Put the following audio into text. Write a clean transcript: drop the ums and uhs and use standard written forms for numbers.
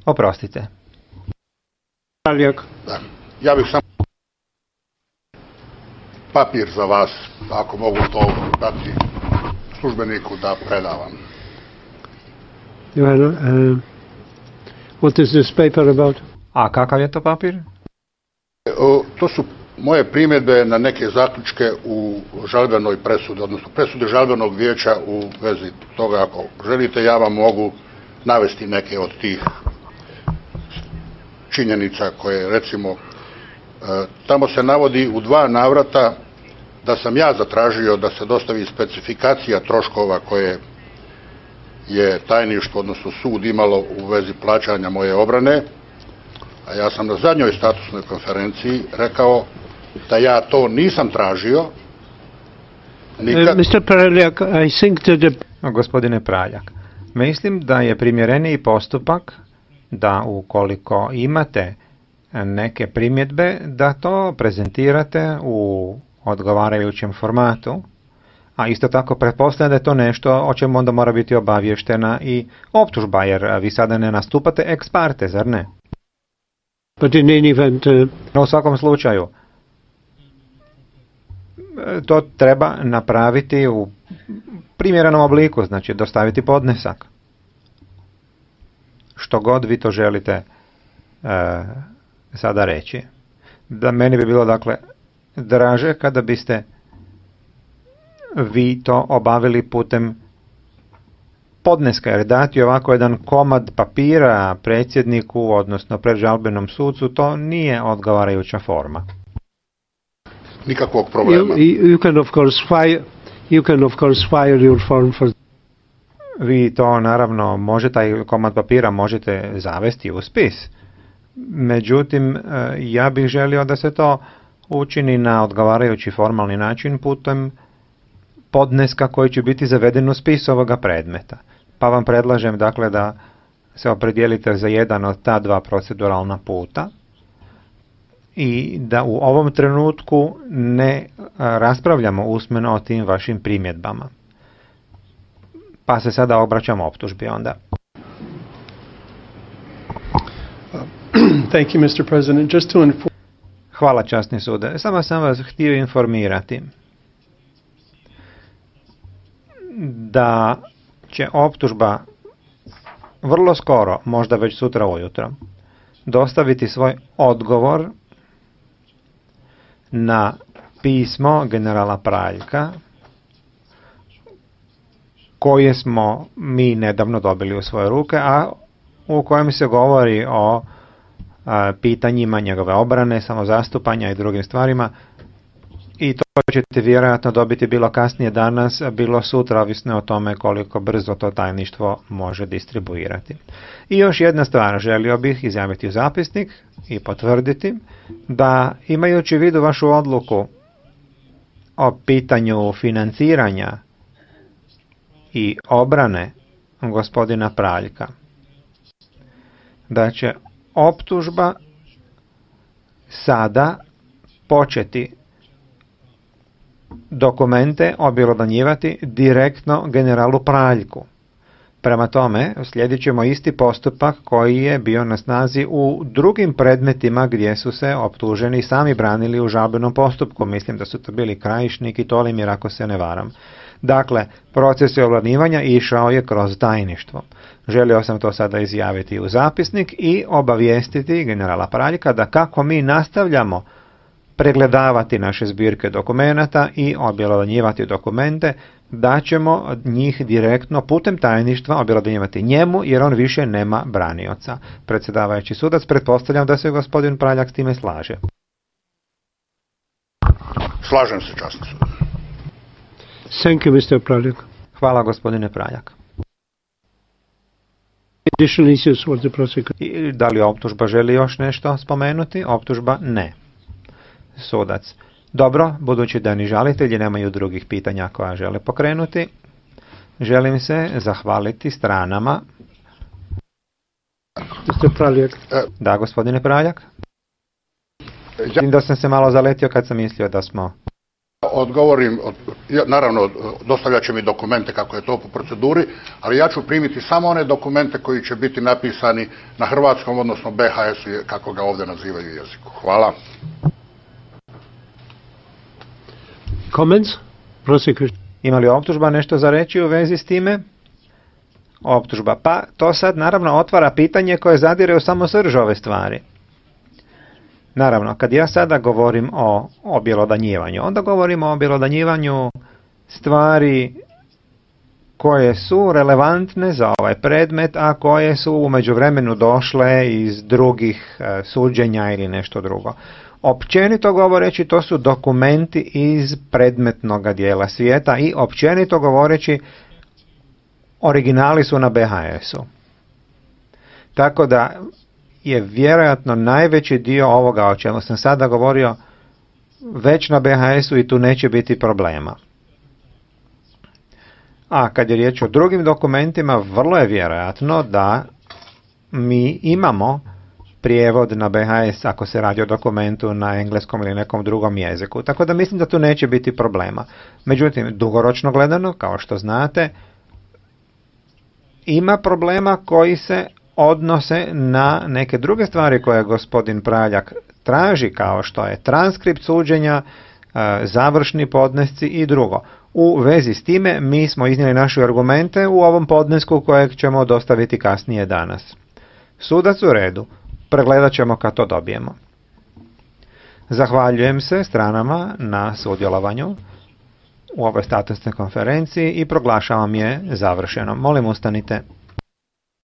Oprostite. Da. Ja bih samo papir za vas, ako mogu to dati službeniku da predavam. What is this paper about? A kakav je to papir? To su moje primjedbe na neke zaključke u žalbenoj presudi, odnosno presudi žalbenog vijeća u vezi toga. Ako želite, ja vam mogu navesti neke od tih činjenica koje, recimo, tamo se navodi u 2 navrata da sam ja zatražio da se dostavi specifikacija troškova koje je tajništvo, odnosno sud, imalo u vezi plaćanja moje obrane, a ja sam na zadnjoj statusnoj konferenciji rekao da ja to nisam tražio nikad. Mr. Praljak, I think that Gospodine Praljak, mislim da je primjereniji postupak da ukoliko imate neke primjedbe, da to prezentirate u odgovarajućem formatu, a isto tako pretpostavljam da je to nešto o čemu onda mora biti obavještena i optužba, jer vi sada ne nastupate ex parte, zar ne? But in any event, U svakom slučaju, to treba napraviti u primjerenom obliku, znači dostaviti podnesak. Što god vi to želite sada reći. Da meni bi bilo, dakle, draže kada biste vi to obavili putem podneska, jer dati ovako jedan komad papira predsjedniku, odnosno predžalbenom sucu, to nije odgovarajuća forma. Nikakvog problema. you can of course fire your form for. Vi to naravno možete, taj komad papira možete zavesti u spis. Međutim, ja bih želio da se to učini na odgovarajući formalni način putem podneska koji će biti zaveden u spis ovoga predmeta. Pa vam predlažem, dakle, da se opredijelite za jedan od ta 2 proceduralna puta i da u ovom trenutku ne raspravljamo usmeno o tim vašim primjedbama. Pa se sada obraćamo optužbi onda. Thank you, Mr. President. Just to inform... Hvala, časni sude. Samo sam vas htio informirati da će optužba vrlo skoro, možda već sutra ujutro, dostaviti svoj odgovor na pismo generala Praljka koje smo mi nedavno dobili u svoje ruke, a u kojem se govori o pitanjima njegove obrane, samozastupanja i drugim stvarima, i to ćete vjerojatno dobiti bilo kasnije danas, bilo sutra, ovisno o tome koliko brzo to tajništvo može distribuirati. I još jedna stvar, želio bih izjaviti u zapisnik i potvrditi da, imajući u vidu vašu odluku o pitanju financiranja i obrane gospodina Praljka, da će optužba sada početi dokumente objelodanjivati direktno generalu Praljku. Prema tome, slijedit ćemo isti postupak koji je bio na snazi u drugim predmetima gdje su se optuženi sami branili u žalbenom postupku. Mislim da su to bili Krajišnik i Tolimir, ako se ne varam. Dakle, proces objelodanjivanja išao je kroz tajništvo. Želio sam to sada izjaviti u zapisnik i obavijestiti generala Praljka da kako mi nastavljamo pregledavati naše zbirke dokumenata i objelodanjivati dokumente, da ćemo njih direktno putem tajništva objelodanjivati njemu, jer on više nema branioca. Predsjedavajući sudac, pretpostavljam da se gospodin Praljak s time slaže. Slažem se, časni sud. Thank you, Mr. Praljak. Hvala, gospodine Praljak. Additional issues for the prosecutor. I da li optužba želi još nešto spomenuti? Optužba ne. Sudac. Dobro, budući da ni žalitelji nemaju drugih pitanja koja žele pokrenuti, želim se zahvaliti stranama. Mr. Praljak. Da, gospodine Praljak. Vidim da sam se malo zaletio kad sam mislio da smo odgovorim, naravno dostavljat će mi dokumente kako je to po proceduri, ali ja ću primiti samo one dokumente koji će biti napisani na hrvatskom, odnosno BHS-u, kako ga ovdje nazivaju jeziku. Hvala. Comments? Prosecution. Ima li optužba nešto za reći u vezi s time? Optužba. Pa to sad naravno otvara pitanje koje zadire u samo srž ove stvari. Naravno, kad ja sada govorim o objelodanjivanju, onda govorimo o objelodanjivanju stvari koje su relevantne za ovaj predmet, a koje su u međuvremenu došle iz drugih suđenja ili nešto drugo. Općenito govoreći, to su dokumenti iz predmetnog dijela svijeta i općenito govoreći, originali su na BHS-u. Tako da je vjerojatno najveći dio ovoga o čemu sam sada govorio već na BHS-u i tu neće biti problema. A kad je riječ o drugim dokumentima, vrlo je vjerojatno da mi imamo prijevod na BHS ako se radi o dokumentu na engleskom ili nekom drugom jeziku. Tako da mislim da tu neće biti problema. Međutim, dugoročno gledano, kao što znate, ima problema koji se odnose na neke druge stvari koje gospodin Praljak traži, kao što je transkript suđenja, završni podnesci i drugo. U vezi s time mi smo iznijeli naše argumente u ovom podnesku kojeg ćemo dostaviti kasnije danas. Sudac u redu, pregledat ćemo kad to dobijemo. Zahvaljujem se stranama na sudjelovanju u ovoj statusnoj konferenciji i proglašavam je završenom. Molim, ustanite.